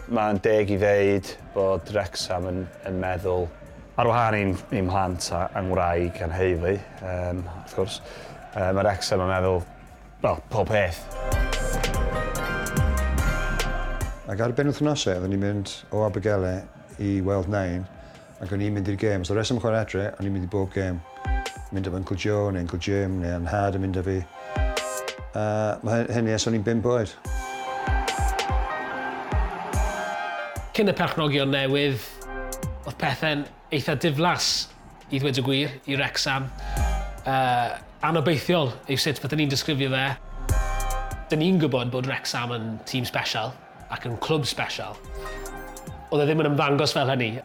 Mae'n deg i ddeud bod Wrexham yn meddwl ar wahân i'n mhlant a ngwraig a'n heulu, wrth gwrs, mae Wrexham yn meddwl, wel, pob peth. Ac ar benwythnosau, oedden ni'n mynd o Abergele i weld Nain, ac o'n i'n mynd i'r gêm. So reswm chwarae adre, o'n i'n mynd i bob gêm. Mynd efo Uncle Joe, neu Uncle Jim, neu Nhad yn mynd â fi. A mae hynny ers o'n i'n 5 oed. Cyn y perchnogion newydd, oedd pethau'n eitha diflas, i ddweud y gwir, i Wrexham. Anobeithiol yw sut fydden ni'n disgrifio fe. Dyn ni'n gwybod bod Wrexham yn tîm special ac yn clwb special. Oedd e ddim yn ymddangos fel hynny.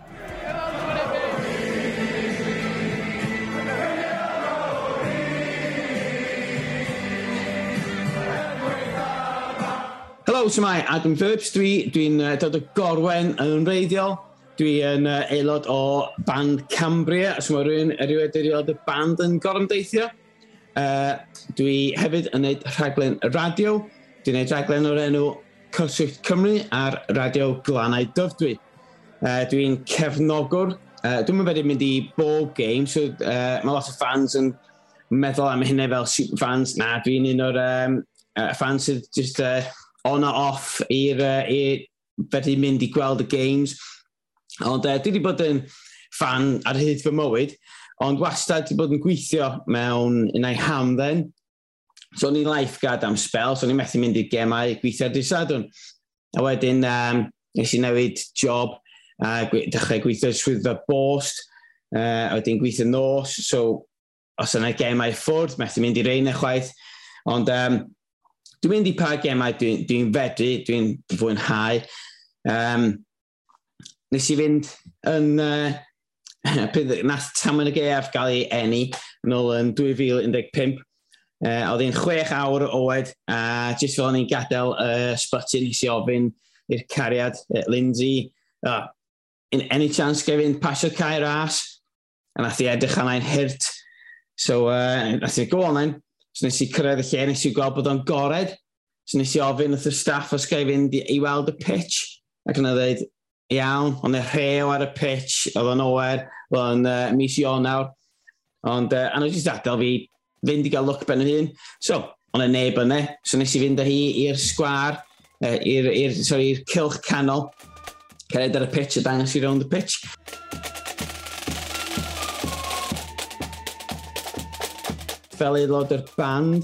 Helo, shwmae, Adam Phillips dwi'n dod o Gorwen yn wreiddiol. Dwi yn aelod o band Cambria, os mae rhywun erioed wedi weld y band yn gorymdeithio. Dwi hefyd yn gwneud rhaglen radio. Dwi'n gwneud rhaglen o'r enw Cyswllt Cymru ar Radio Glannau Dyfrdwy. Dwi'n cefnogwr. Dwi'm yn fedru mynd i bob game, so mae lot o fans yn meddwl am hynny fel super fans. Na, dwi'n un o'r fans sydd just on a off i'r fedru mynd i gweld y games. Ond dwi wedi bod yn fan ar hyd fy mywyd, ond wastad wedi bod yn gweithio mewn unai hamdden. So o'n i'n lifeguard am spell, so o'n i'n methu mynd i'r gemau gweithio ar dydd Sadwrn. A wedyn nes i newid job a dechrau gweithio swyddfa bost, a wedyn gweithio nos, so os yna gemau ffwrdd, methu mynd i reina chwaith. Ond dwi'n mynd i pa gemau dwi'n fedru, dwi'n fwynhau. Nes i fynd yn... nath Tamwen y Gaeaf gael ei eni yn ôl yn 2015. Oedd hi'n 6 awr oed, a jyst fel o'n i'n gadael ysbyty, nes i ofyn i'r cariad, Lindsay, in any chance ga i fynd pasio Cae Ras? A nath i edrych arnai'n hurt. So, nath i go on then. So nes i cyrraedd y lle, nes i gweld bod o'n gored. So nes i ofyn wrth y staff os ga i fynd i weld y pitch. Ac yna dweud, iawn, ond y rhew ar y pitch, oedd o'n oer, oedd o'n mis Ionawr. Ond, a nhw jyst adael fi fynd i gael look ben yn hun. So, ond y neb yna. So nes i fynd â hi i'r sgwâr, i'r cylch canol, cered ar y pitch a dangos i rownd y pitch. Fel aelod o'r band,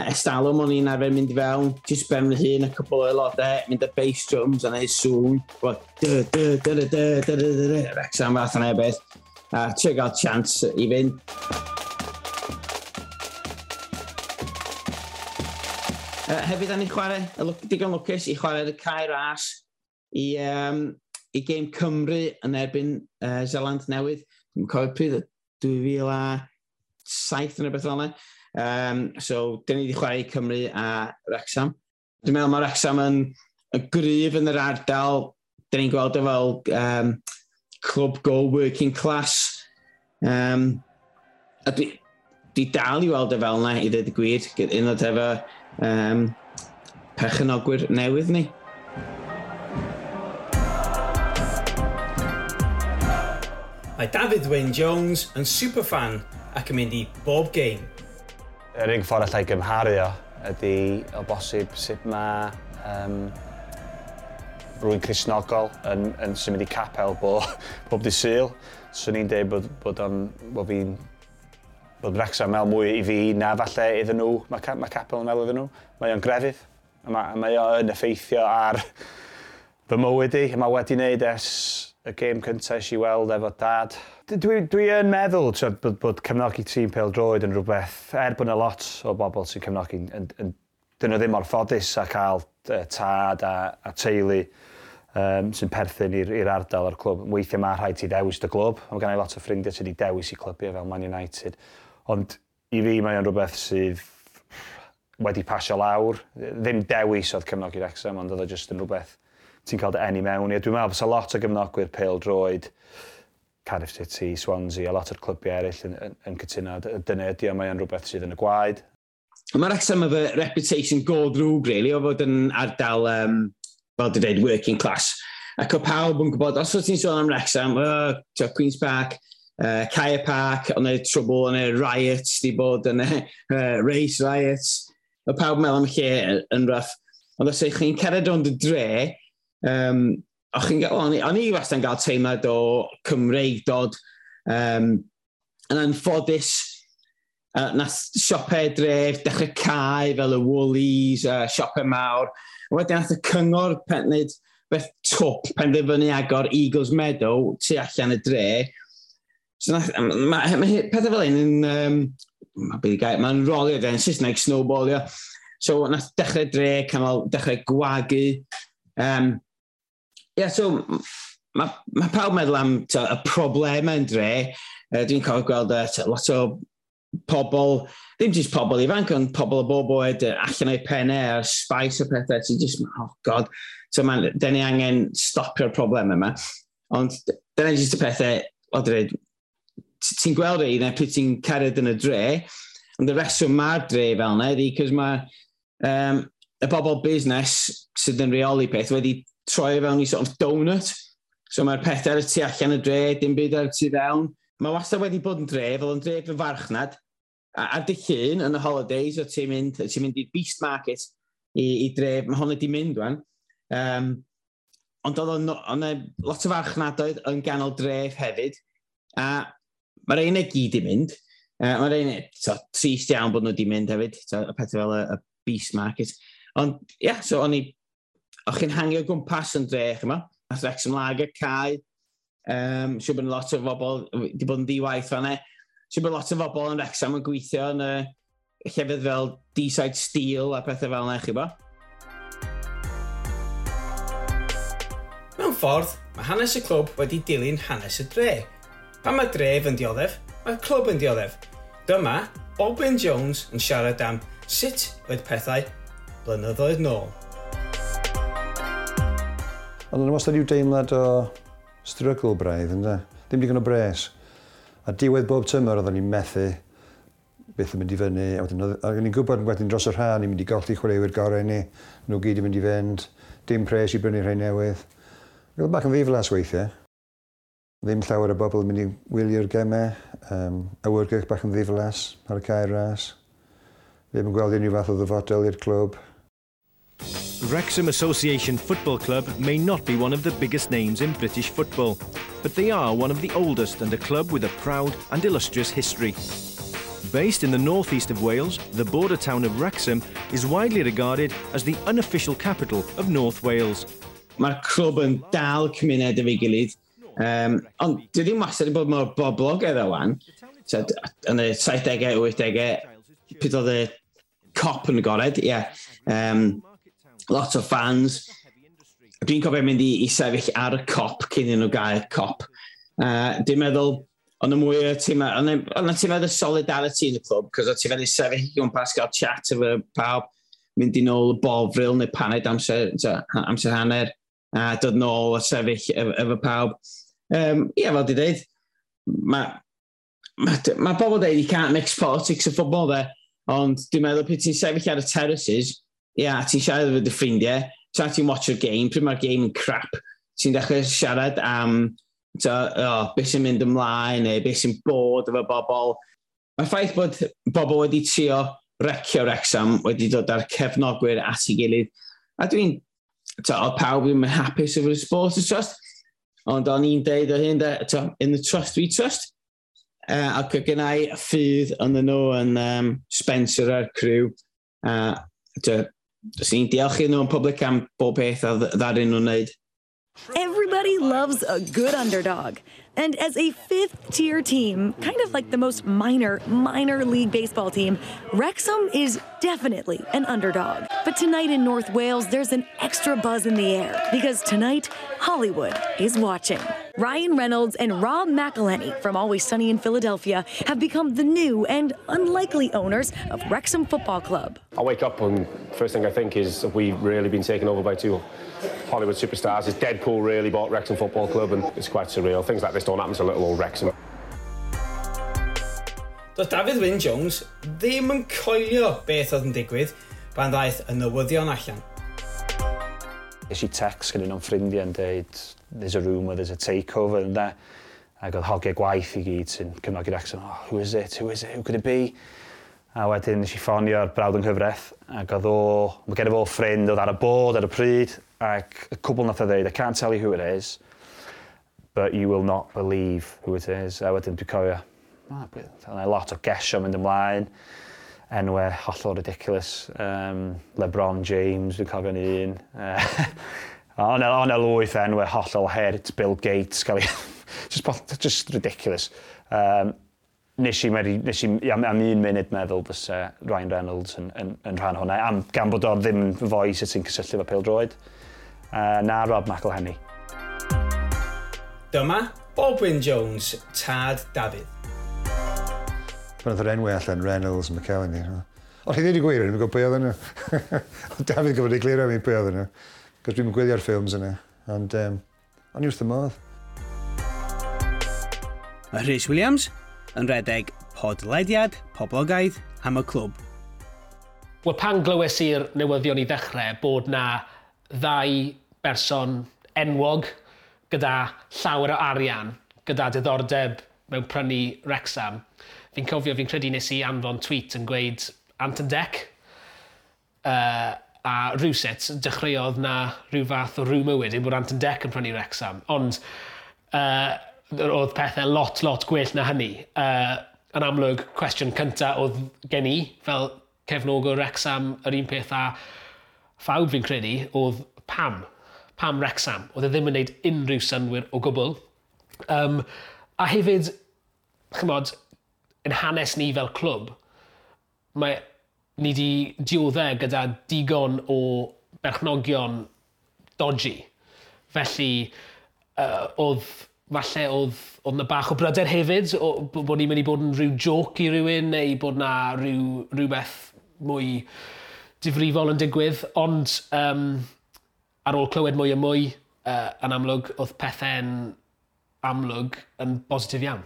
estalwm o'n i'n arfer mynd i fewn, jyst ben fy hun, a cwpl o aelodau, mynd â bass drums a neud sŵn, fel dy, dy, dy, dy, dy, dy, dy, dy, dy, Wrexham fath yna beth, a trio gael chance i fynd. Hefyd, da ni'n chwarae, digon lwcus i chwarae y Cae Ras i gêm Cymru yn erbyn Zeland Newydd. Dwi'n cofio pryd, 2007 neu beth fel yna. So, dyn ni wedi chwarae i Cymru a Wrexham. Dwi'n meddwl mae Wrexham yn gryf yn yr ardal. Dyn ni'n gweld o fel clwb go working class. A dwi dal i weld o fel yna, i ddweud y gwir, un o'r efo perchenogwyr newydd ni. Mae Dafydd Wyn Jones yn superfan ac yn mynd i bob game. Yr unig ffordd allai gymharu o ydy o bosib sut mae rhywun Cristnogol yn symud i capel bob dydd Sul. Swn i'n dweud bod Wrexham meddwl mwy i fi na falle iddyn nhw, mae capel yn meddwl iddyn nhw. Mae o'n grefydd, a mae o'n effeithio ar fy mywyd i. Mae wedi wneud ers y gêm cyntaf es i weld efo dad. Dwi yn meddwl bod cefnogi tîm pêl-droed yn rhywbeth, er bod yna lot o bobl sy'n cefnogi, dyn nhw ddim mor ffodus a cael tad a teulu sy'n perthyn i'r ardal o'r clwb. Weithiau mae rhaid ti ddewis dy glwb. Mae gen i lot o ffrindiau sydd wedi dewis i clybiau fel Man United. Ond i fi mae o'n rhywbeth sydd wedi pasio lawr. Ddim dewis oedd cefnogi Wrexham, ond oedd o jyst yn rhywbeth ti'n cael dy eni mewn i. Dwi'n meddwl fysa lot o gefnogwyr pêl-droed, Cardiff City, Swansea, a lot o'r clybiau eraill yn cytuno. Dyna ydi o, mae o'n rhywbeth sydd yn y gwaed. Mae Wrexham efo reputation go drwg, really, o fod yn ardal fel dwi'n dweud, working class. Ac o pawb yn gwybod, os wyt ti'n sôn am Wrexham, Queen's Park, Caia Park, ond e trouble, ond e riots, di bod yn race riots. Mae pawb yn meddwl am lle yn rough. Ond os ydych chi'n cerdded rownd y dre, o'n i wastad yn cael teimlad o Cymreigdod, yn anffodus, nath siopau dref dechrau cau fel y Woolies, siopau mawr. Wedyn nath y cyngor wneud beth twp penderfynu agor Eagles Meadow tu allan y dre. So nath, ma pethau fel un yn, mae'n rolio yn Saesneg, snowballio. So nath dechrau dre, canol, dechrau gwagu. Yeah, so mae pawb meddwl am y problemau yn dre. Dwi'n cofio gweld lot o pobl, ddim jyst pobl ifanc, ond pobl o bob oed allan o'i pennau a'r spice o pethau. Ti'n just, oh god, so dyn ni angen stopio'r problemau yma. Ond dyna jyst y pethau, o dweud, ti'n gweld rheina pryd ti'n cerdded yn y dre, ond y reswm mae'r dre fel yna ydy, cos mae y bobl busnes sydd yn rheoli peth wedi troi fewn i sort of donut. So mae'r pethau ar y tu allan y dre, dim byd ar y tu fewn. Mae wastad wedi bod yn dre, fel yn dref y farchnad. A ar dy llun yn y holidays, o ti'n mynd, ti mynd i'r Beast Market i dref, mae hwn wedi mynd wan. Ond oedd lot o farchnadoedd yn ganol dref hefyd. A mae'r ein i gyd i mynd. Mae'r ein, so, trist iawn bod nhw wedi mynd hefyd, so, y pethau fel y Beast Market. Ond, ie, yeah, so o'n i, o'ch chi'n hangio gwmpas yn dre, chyma. Nath Wrexham Lager cau. Siŵr bod lot o bobl wedi bod yn ddi-waith fan'na. Siŵr bod lot o bobl yn Wrexham yn gweithio yn y llefydd fel Deeside Steel a pethau fel yna, chi bo. Mewn ffordd, mae hanes y clwb wedi dilyn hanes y dre. Pan mae dref yn dioddef, mae'r clwb yn dioddef. Dyma Bob Jones yn siarad am sut oedd pethau blynyddoedd nôl. Ond yn wastad i'w deimlad o struggle braidd, ynddo? Ddim digon o bres. A diwedd bob tymor oedden ni'n methu beth yn mynd i fyny. A wedyn o'n i'n gwybod wedyn dros yr ha, ni'n mynd i golli chwaraewyr gorau ni. Nhw gyd yn mynd i fynd. Dim pres i brynu rhai newydd. Roedd bach yn ddiflas weithiau. Ddim llawer o bobl yn mynd i wylio'r gemau. Awyrgylch bach yn ddiflas ar y Cae Ras. Ddim yn gweld unrhyw fath o ddyfodol i'r clwb. Wrexham Association Football Club may not be one of the biggest names in British football, but they are one of the oldest and a club with a proud and illustrious history. Based in the northeast of Wales, the border town of Wrexham is widely regarded as the unofficial capital of North Wales. Mae'r clwb yn dal cymuned efo'i gilydd, ond dwi ddim wastad wedi bod mor boblogaidd o wan. So, yn y 70au, 80au, pryd oedd y Kop yn agored, ie. Yeah. Lot o fans. Dwi'n cofio mynd i sefyll ar y Kop cyn i nhw gael Kop. Dwi'n meddwl, ond y mwy o tîm, ond y tîm y solidarity yn y clwb, cos o ti'n feddwl sefyll i gwmpas, gael chat efo pawb, mynd i nôl y Bovril neu paned amser, amser hanner, a dod nôl a sefyll efo pawb. Ie, fel di dweud, mae ma bobl dweud you can't mix politics and football there, ond dwi'n meddwl pryd ti'n sefyll ar y terraces, ia, yeah, ti'n siarad efo dy ffrindiau, tra ti'n watch yr game, pryd mae'r game yn crap, ti'n dechrau siarad am beth sy'n mynd ymlaen neu beth sy'n bod efo bobl. Mae'r ffaith bod bobl wedi trio wrecio Wrexham wedi dod ar cefnogwyr at ei gilydd. A dwi'n, oedd pawb ddim yn hapus efo'r Supporters Trust, ond o'n i'n deud o hyn, in the trust we trust. Ac oedd gen i ffydd yn nhw yn Spencer a'r crew. Dwi'n diolch iddyn nhw yn public am bob peth a ddaru nhw'n wneud. Everybody loves a good underdog. And as a fifth-tier team, kind of like the most minor, minor league baseball team, Wrexham is definitely an underdog. But tonight in North Wales, there's an extra buzz in the air because tonight, Hollywood is watching. Ryan Reynolds and Rob McElhenney from Always Sunny in Philadelphia have become the new and unlikely owners of Wrexham Football Club. I wake up and first thing I think is, have we really been taken over by two Hollywood superstars? Has Deadpool really bought Wrexham Football Club? And it's quite surreal. Things like this don't happen to little old Wrexham. Doedd Dafydd Wyn Jones ddim yn coelio beth oedd yn digwydd pan ddaeth y newyddion allan. Nes i text gan un o'n ffrindiau yn dweud, "There's a rumour, there's a takeover," and that. Ac oedd hogiau gwaith i gyd sy'n cefnogi Wrexham, "Oh, who is it, who is it, who could it be?" A wedyn nes i ffonio'r brawd yng nghyfraith, ac oedd o, mae gen i fo ffrind oedd ar y board ar y pryd, ac y cwbl nath o ddeud, "I can't tell you who it is, but you will not believe who it is." A wedyn dwi'n cofio, oh, a lot o gesio mynd ymlaen, enwau hollol ridiculous. LeBron James, dwi'n cofio'n un. Ond e lwyth enwau hollol hurt, Bill Gates, gael ei just ridiculous. Nes i am un munud meddwl fysa Ryan Reynolds yn rhan hwnna, gan bod o ddim yn foi sydd sy'n cysylltu efo pêl-droed. Na Rob McElhenney. Dyma Baldwin Jones, tad Dafydd. Pan oedd yr enwau allan, Reynolds, McElhenney. Ond chi ddweud y gwir, dwi'n gwybod pwy oedden nhw. Ond Dafydd gyfod i glirio mi pwy oedden nhw. Cos dwi'n gwylio'r ffilms yna. Ond o'n i wrth y modd. Mae Rhys Williams yn redeg podlediad poblogaidd am y clwb. Wel, pan glywes i'r newyddion i ddechrau bod na ddau berson enwog gyda llawer o arian, gyda diddordeb mewn prynu Wrexham, fi'n cofio, fi'n credu nes i anfon tweet yn gweud "Ant and Dec". A rhywsut, dechreuodd na rhyw fath o rumour wedyn bod Ant and Dec yn prynu Wrexham. Ond oedd pethau lot, lot gwell na hynny. Yn amlwg, cwestiwn cyntaf oedd gen i, fel cefnogwr Wrexham, yr un peth a phawb fi'n credu, oedd pam? Pam Wrexham? Oedd e ddim yn gwneud unrhyw synwyr o gwbl. A hefyd, chymod, yn hanes ni fel clwb, mae ni wedi dioddef gyda digon o berchnogion dodgy. Felly, oedd falle oedd na bach o bryder hefyd, bod ni'n mynd i bod yn rhyw joke i rywun, neu bod na rhywbeth mwy difrifol yn digwydd. Ond ar ôl clywed mwy a mwy, yn amlwg, oedd pethau'n amlwg yn bositif iawn.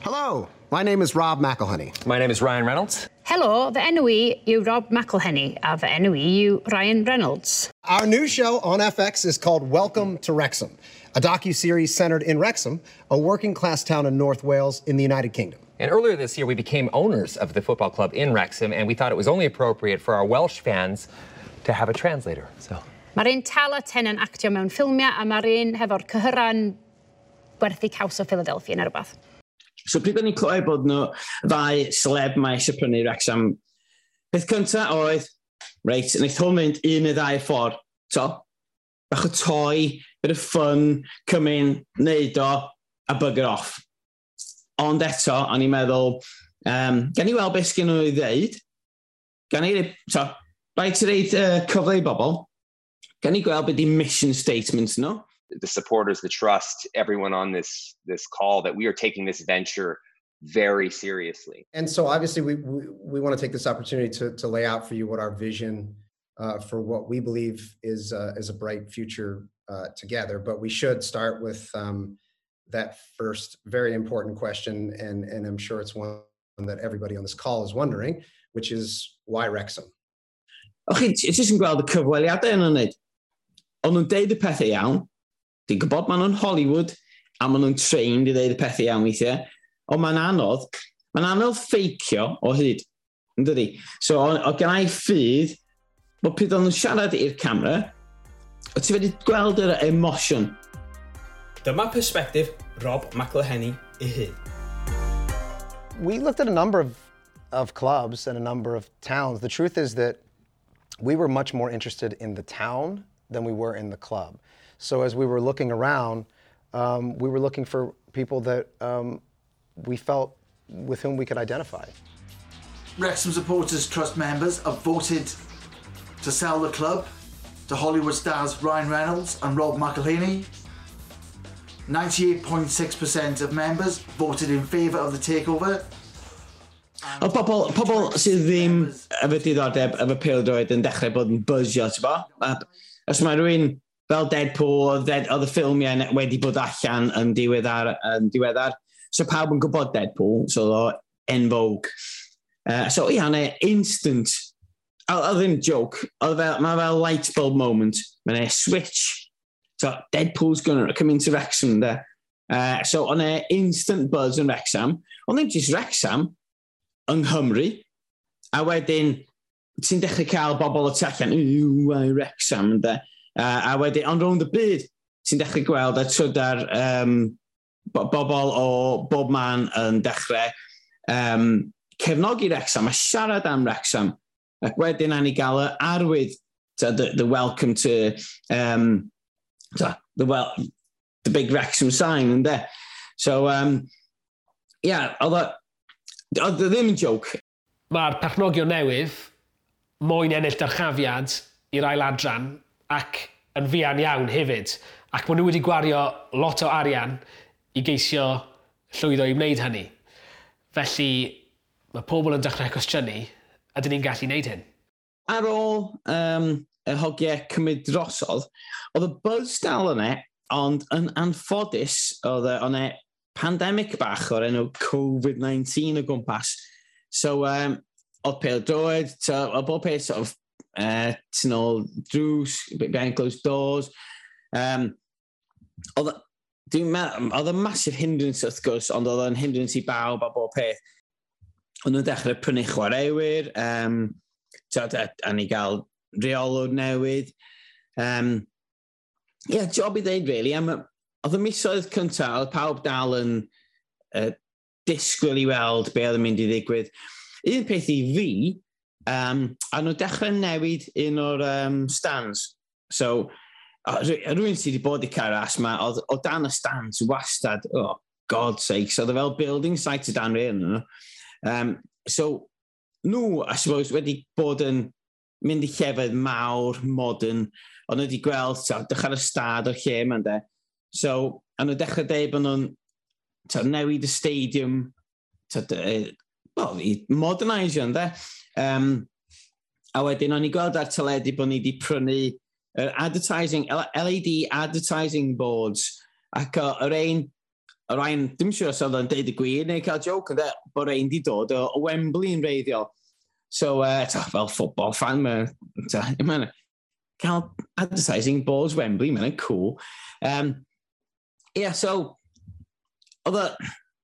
Hello, my name is Rob McElhenney. My name is Ryan Reynolds. Helo, fy enw i yw Rob McElhenney a fy enw i yw Ryan Reynolds. Our new show on FX is called Welcome to Wrexham, a docu-series centered in Wrexham, a working-class town in North Wales in the United Kingdom. And earlier this year, we became owners of the football club in Wrexham, and we thought it was only appropriate for our Welsh fans to have a translator. So. Mae'r un tala ten yn actio mewn ffilmiau a mae'r un hefo'r cyhyra'n gwerthu caws o Philadelphia neu rhywbeth. So pryd o'n i'n clywed bod nhw ddau celeb mae eisiau prynu Wrexham, peth cyntaf oedd, reit, wnaeth hwn fynd un neu ddau ffordd. So, bach o toy, bit of fun, come in, neud o, a bugger off. Ond eto, o'n i'n meddwl, gan i weld beth sgyn nhw i ddeud, gan i, so, rhaid ti reid cyfle i bobl, gan i gweld beth di mission statements nhw. The supporters, the trust, everyone on this call that we are taking this venture very seriously. And so obviously we want to take this opportunity to lay out for you what our vision for what we believe is a bright future together. But we should start with that first very important question, and I'm sure it's one that everybody on this call is wondering, which is why Wrexham? Och chi, ti jyst yn gweld y cyfweliadau yn wneud. Ond nhw'n deud y pethau iawn. Dwi'n gwybod maen nhw'n Hollywood, a maen nhw'n trained i ddeud y pethau iawn weithiau. Ond mae'n anodd. Mae'n anodd ffeicio o hyd. Yn dydi? So, o gen i ffydd, bod pryd o'n nhw'n siarad i'r camera, o ti wedi gweld yr emosiwn. Dyma perspectif Rob McElhenney ei hun. We looked at a number of clubs and a number of towns. The truth is that we were much more interested in the town than we were in the club. So as we were looking around, we were looking for people that we felt with whom we could identify. Wrexham Supporters Trust members have voted to sell the club to Hollywood stars Ryan Reynolds and Rob McElhenney. 98.6% of members voted in favour of the takeover. O pobl sydd ddim efo diddordeb efo pêl-droed yn dechrau bod yn buzzio, ti'n bo? A, os mae rhywun fel Deadpool, oedd y ffilmiau wedi bod allan yn diweddar. So pawb yn gwybod Deadpool, so oedd o en vogue. So ia, ne, instant Oedd ddim joke, oedd fel, mae fel light bulb moment, mae'n e switch. So, Deadpool's gonna come into Wrexham, de. So, o'n e instant buzz yn Wrexham. Ond ddim just Wrexham, yng Nghymru. A wedyn, ti'n dechrau cael bobl o tu allan, yw, Wrexham, de. A wedyn, ond rownd y byd, ti'n dechrau gweld a trydar bobl o bob man yn dechrau cefnogi Wrexham a siarad am Wrexham. Ac wedyn a ni gael y arwydd, the welcome to, the, well, the big Wrexham sign, ynddo. So, yeah, oedd ddim yn joke. Mae'r perchnogion newydd moyn ennill dyrchafiad i'r ail adran ac yn fuan iawn hefyd. Ac maen nhw wedi gwario lot o arian i geisio llwyddo i wneud hynny. Felly, mae pobl yn dechrau cwestiynu, ydyn ni'n gallu wneud hyn? Ar ôl y hogiau cymryd drosodd, oedd y buzz dal yna, ond yn anffodus, oedd e pandemic bach o'r enw Covid-19 o gwmpas. So, oedd pêl-droed, oedd bob peth sort of, tu nôl drws, behind closed doors. Oedd oedd y massive hindrance wrth gwrs, ond oedd o'n hindrance i bawb a bob peth. Ond nhw'n dechrau prynu chwaraewyr, a ni gael reolwr newydd. Yeah, job i ddeud, really. Oedd y misoedd cyntaf, oedd pawb dal yn disgwyl i weld be oedd yn mynd i ddigwydd. Un peth i fi, a nhw dechrau newid un o'r stands. So, rhywun sydd wedi bod i Cae Ras, ma, oedd o dan y stands wastad, oh, God's sake, so oedd fel building site o dan rhain nhw. So, nhw, I suppose, wedi bod yn mynd i llefydd mawr, modern, ond nhw wedi gweld, so, dechrau'r ystad o'r lle yma, de. So, a nhw dechrau dweud bod nhw'n newid y stadium, well, i modernisio, ynde. A wedyn, o'n i gweld ar teledu bod ni wedi prynu advertising, LED advertising boards, ac yr ein, yr ein, dim siŵr os oedd o'n deud y gwir neu cael joke, ynde, bod ein di dod o Wembley yn wreiddiol. So, fel football fan, mae'n cael advertising boards Wembley, mae'n cool. Yeah, so, oedd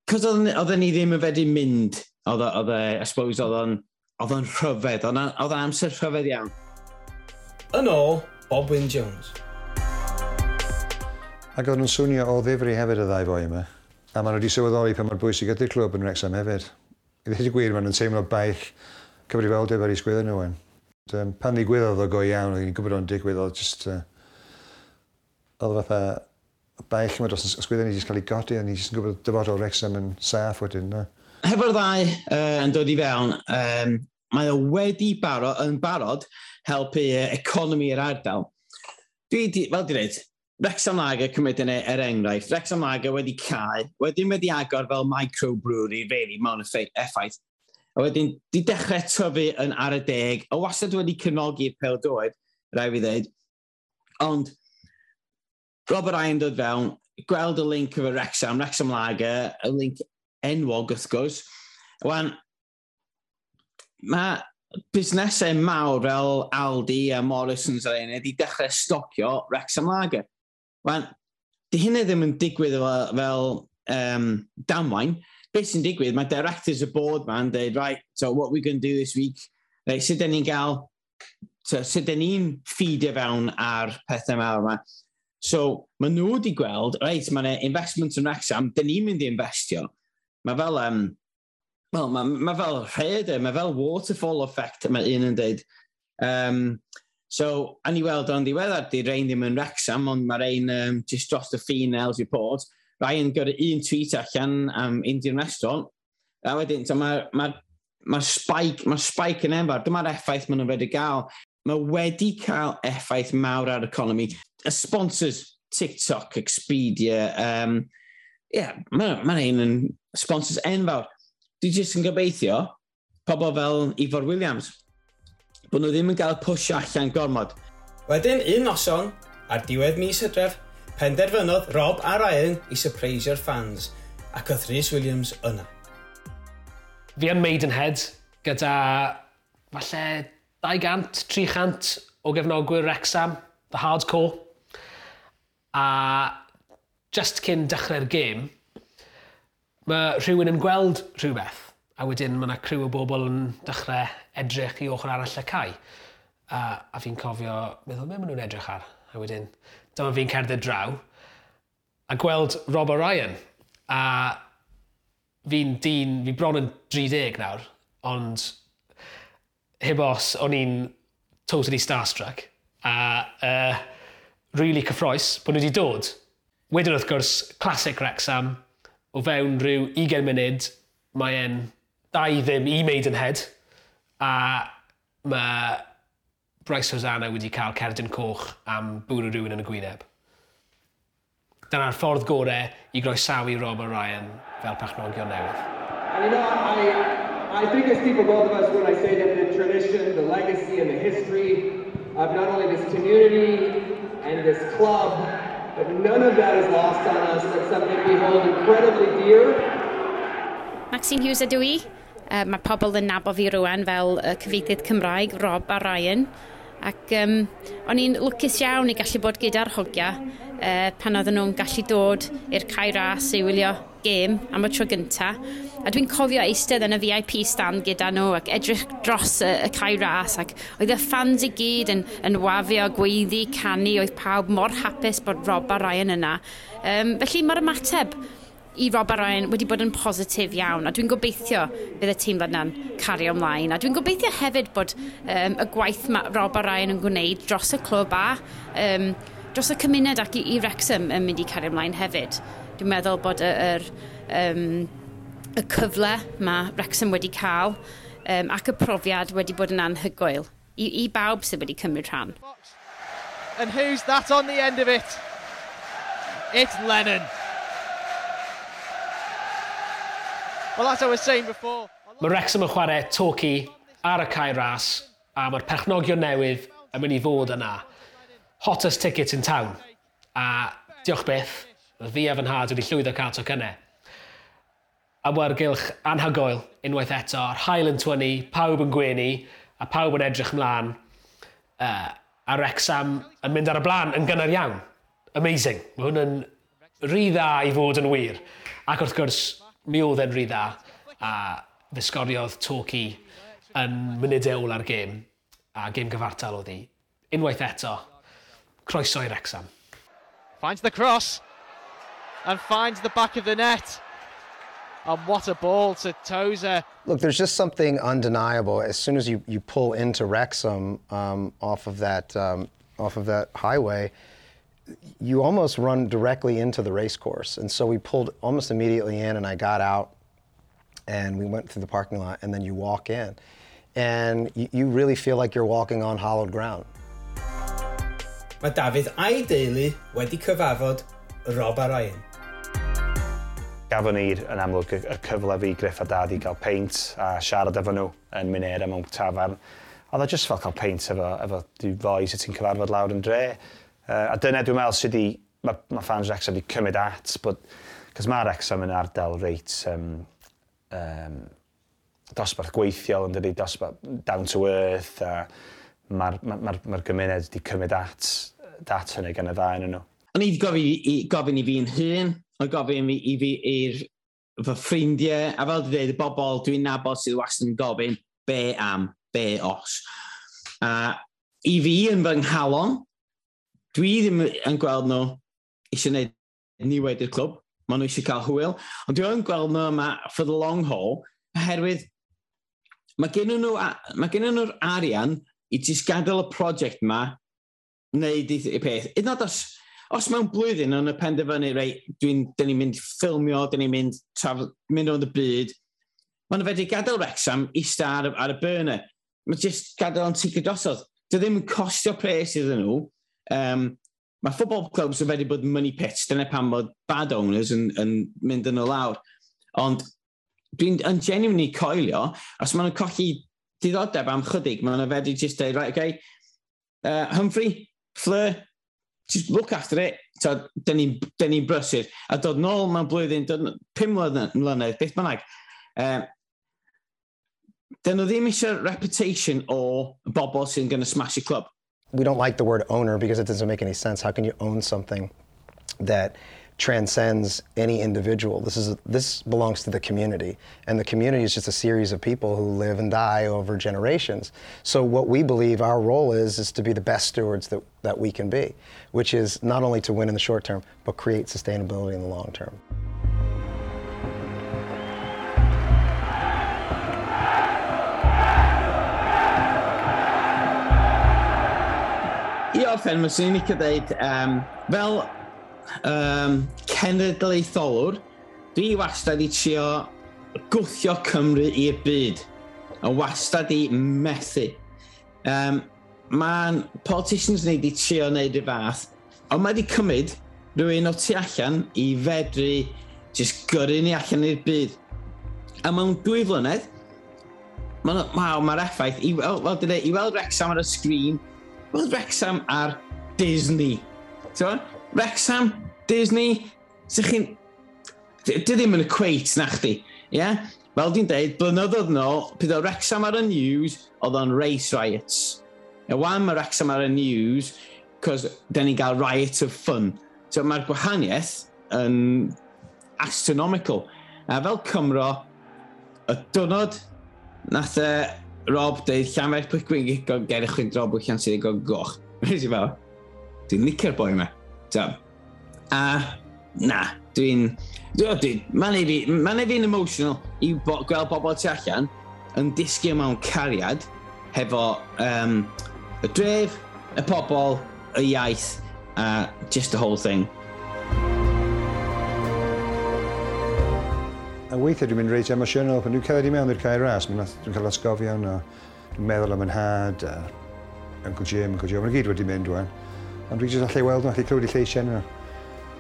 cos oedden ni ddim yn fedru mynd, oedd I suppose, oedd o'n rhyfedd, oedd o'n amser rhyfedd iawn. Yn ôl, Bob Wyn Jones. Ac oedd nhw'n swnio o ddifri hefyd y ddau foi yma. A maen nhw wedi sylweddoli pa mor bwysig ydy'r clwb yn Wrexham hefyd. I ddweud y gwir, maen nhw'n teimlo baich cyfrifoldeb ar eu sgwydda nhw. Pan ddigwyddodd o go iawn, oedd ni'n gwybod o'n digwydd, oedd just... oedd fatha baich yma dros y sgwydda ni jyst cael ei godi, a ni jyst yn gwybod dyfodol Wrexham yn saff wedyn. No? Hefo'r ddau yn dod i fewn, mae o wedi yn barod helpu economi yr ardal. Dwi, fel di dweud, Wrexham Lager cymryd yn er enghraifft. Wrexham Lager wedi cau, wedyn wedi agor fel microbrewery, really, mewn effaith. A wedyn, di dechrau tyfu yn ar y deg, a wastad wedi cefnogi'r pêl-droed, rai fi ddweud. Ond, Robert Ryan dod fewn, gweld y link efo Wrexham, Wrexham Lager, y link enwog wrth gwrs. Wan, mae busnesau mawr fel Aldi a Morrisons a un wedi dechrau stocio Wrexham Lager. Wan, di hynny ddim yn digwydd fel damwain. Beth sy'n digwydd, mae directors y board ma'n dweud, right, so what we going to do this week, right, sut dyn ni'n gael, so, sut dyn ni'n feedio fewn ar pethau mawr yma. So, mae nhw wedi gweld, right, mae'n investment yn Wrexham, dyn ni'n mynd i investio. Mae fel, well, mae fel rhaeadr, mae fel waterfall effect, mae un yn dweud. So, a ni weld o'n ddiweddar, di rein ddim yn Wrexham, ond mae rein just dros y ffin Aylesbury Port. Ryan gyrru un tweet allan am Indian restaurant. A wedyn, so ma spike yn enfawr. Dyma'r effaith maen nhw'n wedi gael. Mae wedi cael effaith mawr ar economi. Y sponsors, TikTok, Expedia, yeah, mae'n ein yn sponsors enfawr. Dwi jyst yn gobeithio, pobl fel Ifor Williams, bod nhw ddim yn cael push allan gormod. Wedyn, un noson, ar diwedd mis Hydref, penderfynodd Rob a Ryan i surprisio'r fans, ac oedd Rhys Williams yna. Fi yn Maidenhead gyda falle 200, 300 o gefnogwyr Wrexham, the hardcore. A just cyn dechrau'r gêm, mae rhywun yn gweld rhywbeth, a wedyn mae yna criw o bobl yn dechrau edrych i ochr arall y cae. A fi'n cofio, meddwl, be maen nhw'n edrych ar? A wedyn, dyma fi'n cerdded draw, a gweld Rob O'Ryan. A fi'n dyn, fi bron yn 30 nawr, ond heb os, o'n i'n totally starstruck. A really cyffrous bod nhw wedi dod. Wedyn wrth gwrs, classic Wrexham, o fewn rhyw 20 munud, mae e'n 2-0 i Maidenhead, a mae Bryce Hosannah wedi cael cerdyn coch am bwrw rhywun yn y gwyneb. Dyna'r ffordd gorau i groesawu Rob O'Ryan fel perchnogion newydd. And I think I speak for both of us when I say that the tradition, the legacy, and the history of not only this community and this club, but none of that is lost on us. That's something we hold incredibly dear. Maxine Hughes ydw i. Mae pobl yn nabod fi rwan fel cyfieithydd Cymraeg, Rob a Ryan. Ac o'n i'n lwcus iawn i gallu bod gyda'r hogia pan oedden nhw'n gallu dod i'r Cae Ras i wylio gêm am y tro gynta. A dwi'n cofio eistedd yn y VIP stand gyda nhw ac edrych dros y Cae Ras, ac oedd y fans i gyd yn wafio, gweiddi, canu, oedd pawb mor hapus bod Rob a Ryan yna. Felly mae'r ymateb i Rob a Ryan wedi bod yn positif iawn, a dwi'n gobeithio bydd y teimlad yna'n cario ymlaen, a dwi'n gobeithio hefyd bod y gwaith mae Rob a Ryan yn gwneud dros y clwb a dros y cymuned ac i Wrexham yn mynd i cario ymlaen hefyd. Dwi'n meddwl bod y cyfle mae Wrexham wedi cael ac y profiad wedi bod yn anhygoel i bawb sydd wedi cymryd rhan. And who's that on the end of it? It's Lennon. Well, as I was saying before. Mae Wrexham yn chwarae Torquay ar y Cae Ras, a mae'r perchnogion newydd yn mynd i fod yna. Hottest ticket in town. A diolch byth, fi a fy nhad wedi llwyddo cael tocynnau. Awyrgylch anhygoel unwaith eto, yr haul yn twynnu, pawb yn gwenu, a pawb yn edrych mlaen. A Wrexham yn mynd ar y blaen yn gynnar iawn. Amazing. Mae hwn yn rhy dda i fod yn wir. Ac wrth gwrs, mi oedd e'n rhy dda, a fe sgoriodd Torquay yn munudau ola'r gêm, a gêm gyfartal oedd hi. Unwaith eto, croeso i Wrexham. Finds the cross and finds the back of the net. And what a ball to Tozer. Look, there's just something undeniable. As soon as you pull into Wrexham off of that highway, you almost run directly into the race course. And so we pulled almost immediately in, and I got out, and we went through the parking lot, and then you walk in. And you really feel like you're walking on hallowed ground. Mae Dafydd a'i deulu wedi cyfarfod Rob a Ryan. Gafon ni yn amlwg y cyfle fi, Griff a Dad i gael peint a siarad efo nhw yn Minera mewn tafarn. Oedd o just fel cael peint efo dy fois y ti'n cyfarfod lawr yn dre. A dyna dwi'n meddwl sydd wedi, mae fans Wrexham wedi cymryd at, but, cos mae Wrexham yn ardal reit dosbarth gweithiol yn dydi, dosbarth down to earth, a mae'r ma gymuned wedi cymryd at hynny gan y ddau yn nhw. O'n i wedi gofyn i fi'n hun, o'n gofyn i fi i'r fy ffrindiau, a fel dwi'n dweud, y bobl dwi'n nabod sydd wastad yn gofyn be am, be os. A i fi yn fy nghalon, dwi ddim yn gweld nhw eisiau gwneud niwed i'r clwb, maen nhw eisiau cael hwyl, ond dwi yn gweld nhw yma for the long haul, oherwydd mae gen nhw'r arian i jyst gadael y prosiect yma wneud i peth. Hyd yn oed os mewn blwyddyn yn y penderfynu, reit, dyn ni'n mynd ffilmio, dyn ni'n mynd rownd y byd, maen nhw fedru gadael Wrexham ista ar y burner. Mae jyst gadael o'n ticio drosodd. Dy ddim yn costio pres iddyn nhw. Mae football clubs yn fedru bod money pits, dyna pam bod bad owners yn mynd yn y lawr. Ond dwi'n yn genuinely coelio, os maen nhw'n colli diddordeb am chydig, maen nhw'n fedru just dweud, right, okay, Humphrey, Fleur, just look after it. So, dyn ni brysur. A dod nôl mewn blwyddyn, dod 5 mlynedd, beth bynnag. Dyn nhw ddim eisiau reputation o bobl sy'n gonna smash y club. We don't like the word owner because it doesn't make any sense. How can you own something that transcends any individual? This belongs to the community, and the community is just a series of people who live and die over generations. So what we believe our role is to be the best stewards that we can be, which is not only to win in the short term, but create sustainability in the long term. I orffen, mae'n swn i'n licio dweud, fel cenedlaetholwr, dwi wastad i trio gwthio Cymru i'r byd. A wastad i methu. Mae'n politicians ni wedi trio wneud y fath, ond mae wedi cymryd rhywun o tu allan i fedru just gyrru ni allan i'r byd. A mewn 2 flynedd, mae'r effaith, i weld Wrexham ar y sgrin, weld Wrexham ar Disney. So, Wrexham, Disney, sych chi'n... Di ddim yn equate na chdi, ie? Yeah? Fel dwi'n deud, blynyddoedd nôl, pryd oedd Wrexham ar y news, oedd o'n race riots. A wan mae Wrexham ar y news, cos den ni'n gael riot of fun. So mae'r gwahaniaeth yn astronomical. A fel Cymro, y diwrnod nath Rob deud Llanfair Pwllgwyngyll ger y chwydro bwyllian sydd ei goch. Nes i fel, dwi'n licio'r boi yma. So, a na, dwi'n... Mae'n ei fi'n emotional i gweld bobl tu allan yn disgyn mewn cariad hefo y dref, y pobl, y iaith, a just the whole thing. A weithiau dwi'n mynd reit emosiynol, pan dwi'n cerdded i mewn i'r Cae Ras, dwi'n cael atgofion o, dwi'n meddwl am 'y nhad, a Uncle Jim, Uncle Joe, maen nhw gyd wedi mynd wan. Ond dwi'n jyst allai weld nhw, allai clywed eu lleisiau nhw.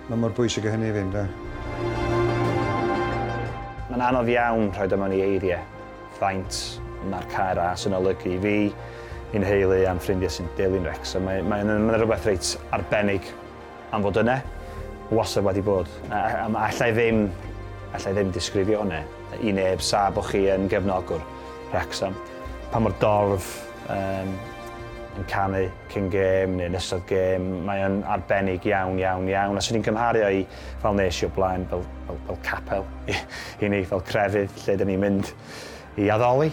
Mae mor bwysig o hynny i fynd, da. Mae'n anodd iawn rhoi o mewn i eiriau faint mae'r Cae Ras yn olygu i fi, i'n heulu a'n ffrindiau sy'n dilyn Wrexham. Mae'n rhywbeth reit arbennig am fod yna, wastad wedi bod. A allai ddim disgrifio hwnna i neb sa bod chi yn gefnogwr Wrexham. Pa mor dorf yn canu cyn gêm neu yn ystod gêm, mae o'n arbennig iawn, iawn, iawn. A swn i'n cymharu i fel nes i o blaen, fel capel i ni, fel crefydd, lle dyn ni'n mynd i addoli.